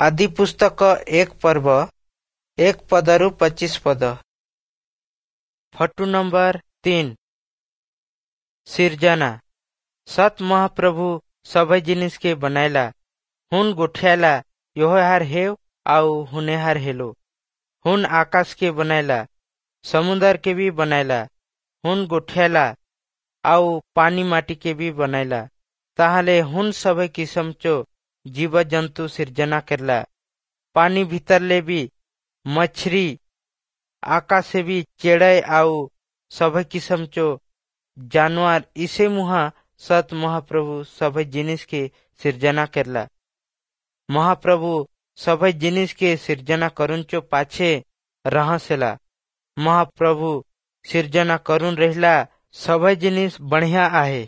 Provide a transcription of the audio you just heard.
ଆଦିପୁସ୍ତକ 1 ପର୍ବ 1 ପଦରୁ 25 ପଦ। Photo number 3। सिरजना। सत महाप्रभु सबै जिनिस के बनायला। हुन गोठियाला, योहार हेव आउ हुनेहार हेलो। हुन आकाश के बनायला, समुन्दर के भी बनायला। हुन गोठियाला आउ पानी माटी के भी बनायला। ताहले हुन सबै किसिम चो जीव जन्तु सिर्जना करला। पानी भीतरले भी मछरी, आकाश से भी चेड़ै आउ सबै किसिम चो जानवर। इसे मुहा सत महाप्रभु सबै जिनिस के सिर्जना करला। महाप्रभु सबै जिनिस के सिर्जना करुन चो पाछे रहसेला। महाप्रभु सिर्जना करुन रहिला, सबै जिनिस बढ़िया आहे।